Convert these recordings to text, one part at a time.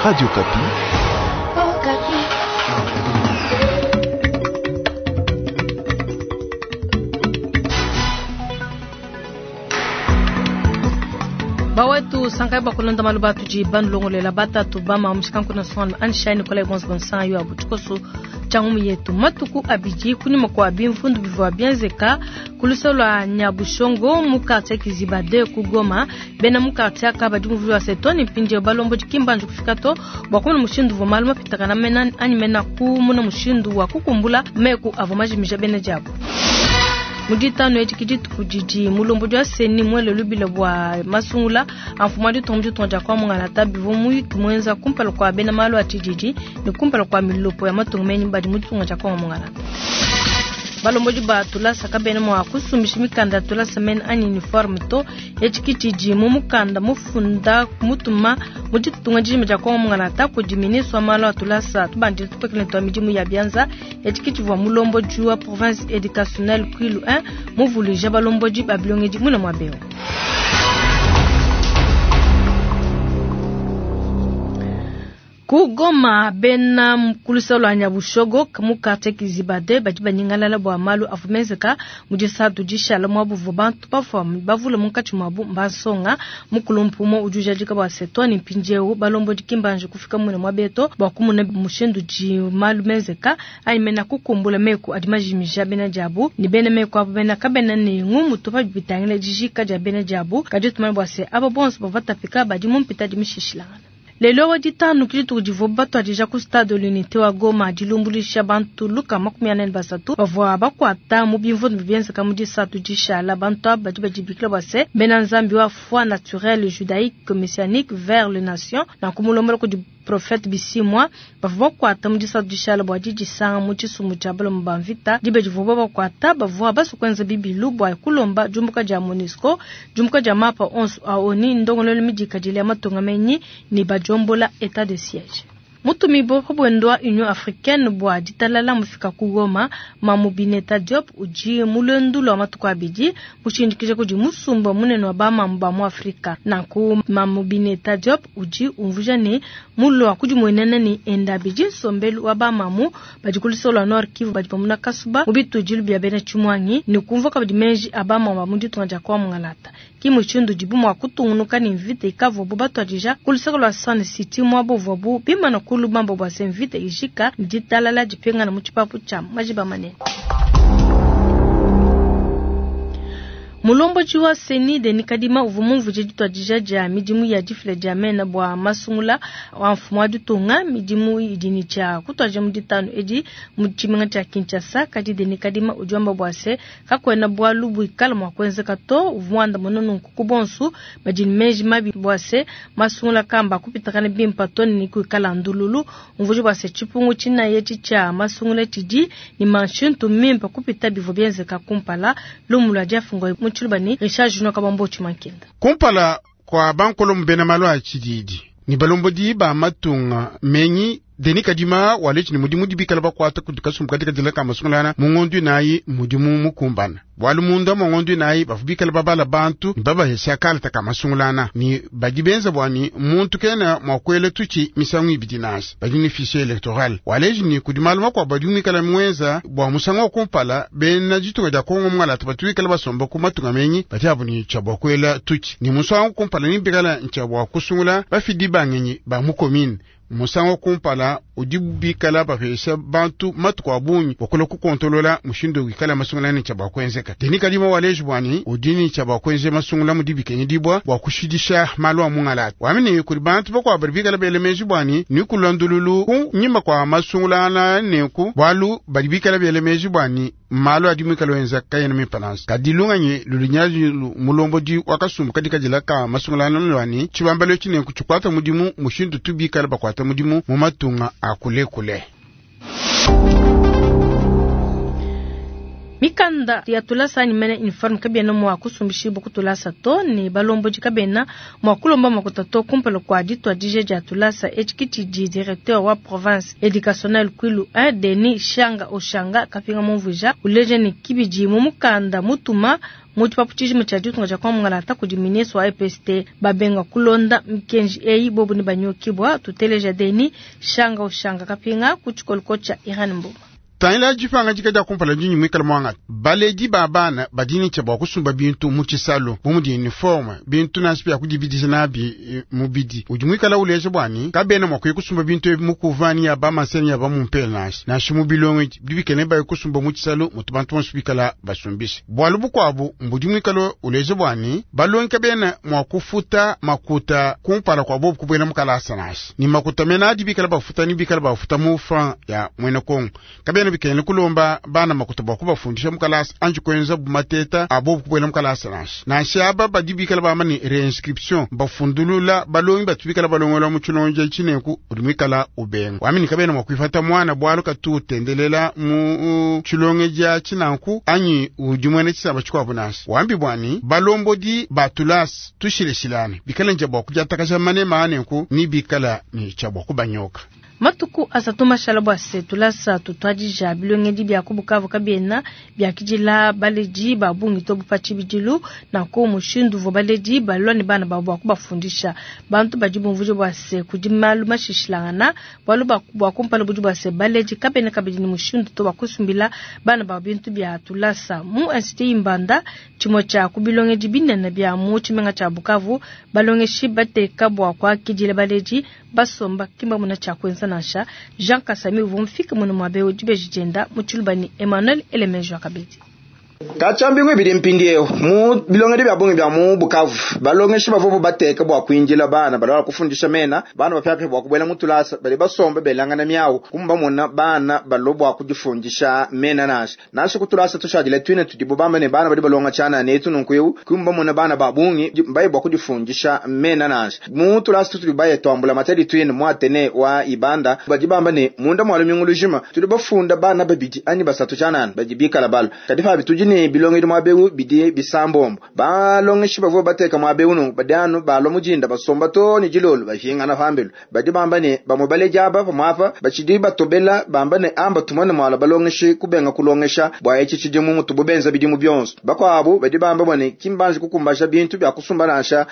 Radio Okapi. Bawetu sankai bakulonda malu batudi banulongolela batatu bama mushikanku national anshai nikolai bonso bonsan yo abutikoso tshia yetu matuku abidi kunyima kua bimvundu bivua bienzeka ku luseke lua Nyabushongo mu quartier Kiziba 2 ku Goma. Bena mu quartier aka badi muvulu wa setoni mpindieu balombodi ki mbanji kufika to bua kumona mushindu uvua malu mapitakana mena anyi mena kumona mushindu wa kukumbula meku avua majimija bena diabu. Mu ditanu edi ke dituku didi mulombodi wa CENI muele lubila bua masungula a mfumu wa ditunga mu ditunga dia Kongo Mungalata. Bivua muyuki muenza kumpala kua bena malu a tshididi ne kumpala kua milopo ya matunga menyi badi mu ditunga dia Kongo Mungalata. Balombodi ba tulasa kabena mua kusumbisha mikanda ya tulasa mena anyi uniforme to. Etshi ke tshidi mu mukanda mufunda mutuma mu ditunga dijima dia Kongo Mungalata kudi ministre wa malu a tulasa tubandile tupekele tua midimu ya bianza. Etshi ke tshivua mulombodi wa province educationnelle Kwilu 1 muvuluija balombodi ba bilongedi muine muaba eu. Ku Goma, bena ku luseke lua Nyabushogo mu quartier Kiziba 2 badi banyingalala bua malu avua menzeka mu disatu dishala muabu uvua bantu bafua bavule munkatshi muabu mbansonga. Mukulu mpumo udi ujadika bua se too ne mpindieu balombodi ki mbanji kufika muine muaba to bua kumona mushindu udi malu menzeka anyi mena kukumbula meku adi majimija bena diabu ne bena meku abu bena kabena ne ngumu to pa bitangila dijika dia bena diabu. Kadi tumanye bua se aba bonso bavua batapika badi mu mpita di mishishilangana. Lelo wa ditanu ke dituku divua batuadija ku stade de l'unité wa Goma dilumbuluisha bantu luka 43 bavua bakuata mu bimvundu bienzeka mu disatu dishala. Bantu aba badi badibikila bua se bena nzambi wa foi naturelle judaïque messianique vers les nations na kumulombola kudi prophète Bisimwa. Bavua bakuata mu disatu dishala bua didisanga mu tshisumbu tshia balomo ba mvita. Diba divua bakuata bavua basue kuenza bibilu bua kulomba diumbuka dia MONUSCO, diumbuka dia mapa onso a ONU, ndongoluelu midikadile ya matunga menyi ne badiombola état de siège. Mutumibo pa buendo wa Union Africaine bua ditalala mufika ku Goma, Mamu Bineta Diop udi mu luendu lua matuku abidi mushindikija kudi musumba munene wa bamamu ba mu Afrika. Nanku Mamu Bineta Diop udi umvuija ne mulua kudimuenena ne enda abidi nsombelu wa bamamu badi ku luseke lua Nord Kivu badi bamuna kasuba mu bitudilu bia bena tshimuangi ne kumvua kabidi meji a bamamu ba mu ditunga dia Kongo Mungalata. Ki mushindu udibu mua kutungunuka ne mvita ikavuabu batuadija ku luseke lua Sun City muaba uvuabu bimana ku lubamba bua se mvita ijika ne ditalala dipingana mu tshipapu tshia majiba manene. Mulombodi wa CENI Denis Kadima uvua mumvuije dituadija dia midimu ya difila dia mena bua masungula wa mfumu wa ditunga. Midimu idi ne tshia kutuadija mu ditanu edi mu tshimenga tshia Kinshasa. Kadi Denis Kadima udi wamba bua se kakuena bualu buikala mua kuenzeka to. Uvua muandamune nunku ku bonso badi ne meji mabi bua se masungula kamba kupitakana bimpe to ne kuikala ndululu. Umvuije bua se tshipungu tshinayi etshi tshia masungula tshidi ne manshintu mimpe kupita bivua bienzeka kumpala. Lumu lua diafunga mu tshiluba ne Richard Junior Kabambo Tshimankenda. Kumpala kwa bankolo bena malu a tshididi ni balombodi ba matunga menyi Denis Kadima walechi ni mudimu dibikala bakwata kudi kasumbu katika dila ka masungulana mu ngondu nayi mudimu mukumbana. Bwalu munda mu ngondu nayi bafubikala babala bantu ni babahesha kalata ka masungulana ni badi benza bwa ni muntu kena mwa kwele tuchi misangu ibidi nasi badi ni fichier electoral. Walechi ni kudi malu makwa badi mwikala mwenza bwa musangu wa kumpala bena ditunga dia Kongo mwala batuikala basomba ku matunga menyi bati abu ni cha bwa kwela tuchi ni musangu kumpala ni bikala ncha bwa kusungula bafidi bangenyi ba mu commune. Musango kumpala udi bikala bapesha bantu matuku a bungi bakula kukontolola mushindu wikala masungula ne tshia bua kuenzeka. Denis Kadima waleji bwani udi ne tshia bua kuenza masungula mudi bikengedibua bua kushidisha malu a mungalata. Wamene kudi bantu bakuabu badi bikala bele meji bwani ni kulandululu ku nyima kwa masungula ana nenku bualu badi bikala bele meji bwani malu adi mwikala wenza kayena mimpanansi. Kadi lunganyi lulunyaji mulombodi wa kasumbu kadi kadila ka masungula ana lwani tshibambalo tshinenku tshikwata mudimu mushindu tubikala bakwata mudimu mu matunga a kulekule. Mikanda ya tulasa anyi mene uniforme kabiena mua kusumbishibua ku tulasa to, ne balombodi kabena mua kulomba makuta to kumpala kua dituadija dia tulasa. Etshi ke tshidi directeur wa province educationnelle Kwilu 1 Denis Shanga Oshanga Kapinga mumvuija, uleja ne kibidi mu mukanda mutuma mu tshipapu tshijima tshia ditunga dia Kongo Mungalata kudi ministre wa EPST. Babenga kulonda mikenji eyi bobu ne banyokibua. Tuteleja Denis Shanga Oshanga Kapinga ku tshikoloko tshia Irene Mboma. Tangila dipangadika dia kumpala dinyi muikale muangata baledi ba bana badi ne tshia bua kusumba bintu mu tshisalu bu mudi uniforme bintu nansha bia kudibidija nabi mubidi udi muikale uleja bua ni kabena mua kuya kusumba bintu ebi mu kuvani ya bamaseni ya bamumpele nansha nansha mu bilongedi bidi bikene baye kusumba mu tshisalu mutu bantu bonso bikala basumbisha. Bualu bukuabu mbudi muikale uleja bua ni balongi kabena mua kufuta makuta kumpala kua bobu kubuela mu kalasa nansha ni makuta mena adi bikala bafuta ni bikala bafuta mu franc ya mwena Kongo kabena bikene kulomba bana makuta bua kubafundisha mu kalasa anji kuenza bumateta abo kubuela mu kalasa nansha nansha aba badi bikala bamba ni reinscription bafundulula balongi batu bikala balongola mu tshilonja tshineku udi muikala ubenga wamini kabena mua kuifata mwana bualu katu utendelela mu tshilongeja tshinanku anyi udi mwene tshisamba tshikuabu nansha wambi bwani balombodi batulasa tushileshilane bikala nja bua kudiatakaja manema anenku ni bikala ni tshia bua kubanyoka. Matuku asatu mashala bua se tulasa tutuadija bilongedi bia ku Bukavu kabiena biakidila baledi ba bungi to bu pa tshibidilu nanku mushindu uvua baledi balua ne bana babu bua kubafundisha. Bantu badi bumvuija bua se kudi malu mashishilangana bualu bua kumpala budi bua se baledi kabena kabidi ne mushindu to bua kusumbila bana babu bintu bia tulasa. Mu Institut Imbanda tshimue tshia ku bilongedi binene bia mu tshimenga tshia Bukavu balongeshi bateka bua kuakidila baledi basomba kimba muna tshia kuenza nansha. Jean Kasami uvua mufike muna muabe udi dienda mu tshiluba ni Emmanuel Elemenjo akabidi. Kachambi ngwe mpindiewu mu bilongedi bya bungi bya mu Bukavu balongeshi bavua bateka bua kuinjila bana balala kufundisha mena bana bapyapya bua kubuela mu tulasa bali basomba belangana miawu kumba mona bana balo bua kudifundisha mena nansha nansha kutulasa tushadile twine tudibo bamba ne bana badi balonga chana netu nunkuyu kumba mona bana ba bungi mbaye bua kudifundisha mena nansha mu tulasa tutuli baye twambula matadi twine mwatene wa ibanda badi bamba ne munda mwalu mingulujima tudi bafunda bana babidi ani basatu chanana badi bikala balo kadi fa bitudi ne bilongedi mwabewu bidi bisambombo balongeshi bavua bateka mwabewu nunku badi anu balwa mujinda basomba to ni jilolo bashingana pambelu badi bamba ne bamwe baleji aba pamwapa bachidi batobela bamba ne amba tumone mwala balongeshi kubenga kulongesha bwa echi chidimu mutubu benza bidimu byonso bakwabo badi bamba bone kimbanji kukumbasha bintu bya kusumba nansha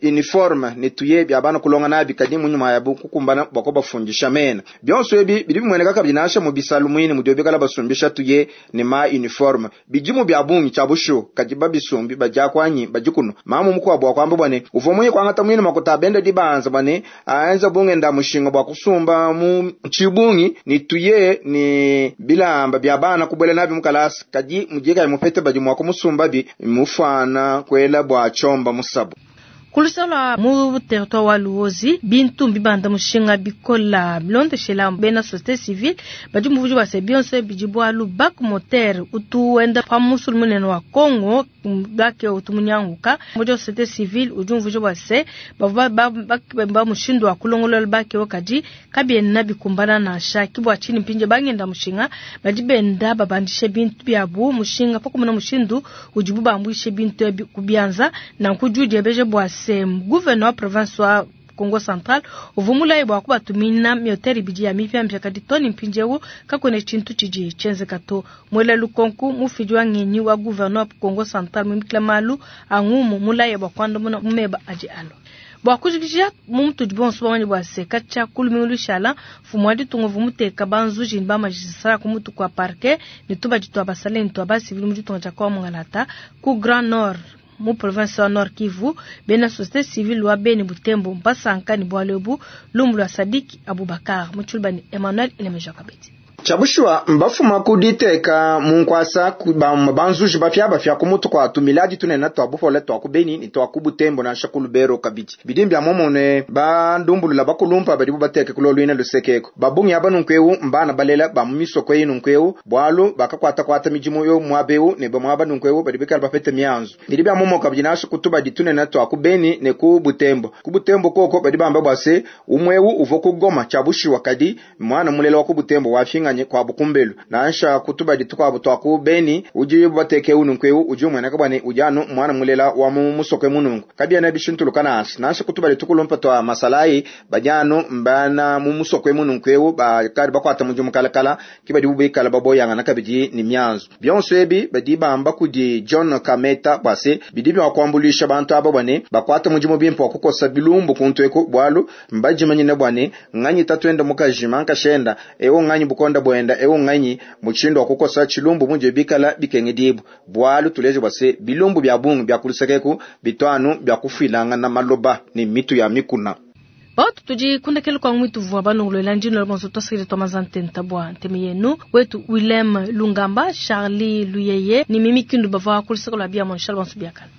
uniforme ne tuye bya bana kulonga nabi kadi munyuma yabu kukumbana bwako bafundisha mena byonso ebi bidi bimweneka kabidi nansha mu bisalu mwini mudio bikala basumbisha tuye ne ma uniforme bidimu bya bungi cha bushu kadi babisumbi baja kwanyi bajikuno mamu mukwa bwa kwamba bwane uvo munyi kwangata mwini makuta benda dibanza bwane aenza bunge nda mushinga bwa kusumba mu chibungi ni tuye ni bilamba bya bana kubwela nabi mukalasi kadi mujika mupete badi mwa kumusumba bi mufana kwela bwa chomba musabu. Kulusala mu territoire wa Luozi bintu mbibanda mushinga bikola bilondeshela bena société civile badi muvuji wa se bidi bwalu bak moteur utu wenda pa musul munene wa Congo bake utu munyanguka mu société civile udi muvuji wa se bava ba ba mushindu wa kulongolola bake wakadi kabiena bikumbana na shaki bwa chini mpinje bangenda mushinga badi benda babandishe bintu byabu mushinga pakumuna mushindu udibu bambwishe bintu kubianza na nkujudi ebeje bwa se gouverneur wa province wa Kongo Central uvumulaye bwa kubatumina mioteri bidi ya mipya mpya kadi toni mpinjewu kakwene chintu chiji chenzeka to mwela lukonku mufidi wa ngenyi wa gouverneur wa Kongo Central mumikila malu angumu mulaye bwa kwanda muna mumeba aji alo. Bwa kujikijia mumtu dibonso bamanye bwa se kacha kulumingu shala fumwa ditungo vumuteka banzuji ba magistrat kumutu kwa parquet ni tuba jitwa basale ni tuba civil mu ditunga kwa mungalata ku Grand Nord mu province wa Nord Kivu bena société civile wa Beni Butembo mbasanka ni bwalebu lumbu lwa Sadiki Abubakar muchulba ni Emmanuel Elemeja Kabeti. Chabushwa mbafuma kuditeka munkwasa banzuji bafya bafya kumutu kwa tumiladi tunena twa bufole twa kubeni ni twa kubutembo na shakulubero kabiti bidimbya momone bandumbulula bakulumpa badi bateke kulolwina lusekeko babungi abanunkwewu mbana balela ba mumisoko yinu nkwewu bwalu bakakwata kwata mijimu yo mwabewu ne bamwaba nunkwewu badi bikala bapete mianzu bidibya momo kabidi nasho kutuba ditunena twa kubeni ne kubutembo kubutembo koko badi bamba bwase umwewu uvo kugoma chabushwa kadi mwana mulela wa kubutembo wafinga kuanyi kuabu kumbelu. Nansha ku tubadi tukuabu tua ku Beni, udi bateke eu nunku eu udi umueneka bua ne udi anu muana mulela wa mu musoko emu nunku. Kabiena bishintuluka nansha. Nansha ku tubadi tukulumpa tua masalayi badi anu mbana mu musoko emu nunku eu bakadi bakuata mudimu kalakala ke badibu bikala baboyangana kabidi ne mianzu. Bionso ebi badi bamba kudi John Kameta bua se bidi bia kuambuluisha bantu aba bua ne bakuate mudimu bimpe wa kukosa bilumbu kuntu eku, bualu mbadimanyine bua ne nganyi tatuende mukaji mankashenda eu nganyi bukonda buenda eu nganyi mushindu wa kukosa tshilumbu mudi bikala bikengedibua, bualu tuleje bua se bilumbu bia bungi bia kuluseka eku bitu anu bia kufuilangana maloba ne mitu ya mikuna. Bautu tudi kundekela kwa mwitu vua banongoloela ndino la bonso twasakile twa mazantenta bua nteme yenu wetu Willem Lungamba, Charlie Luyeye ni Mimi Kindu bavua kuluseka lua bia mon bonso biakana.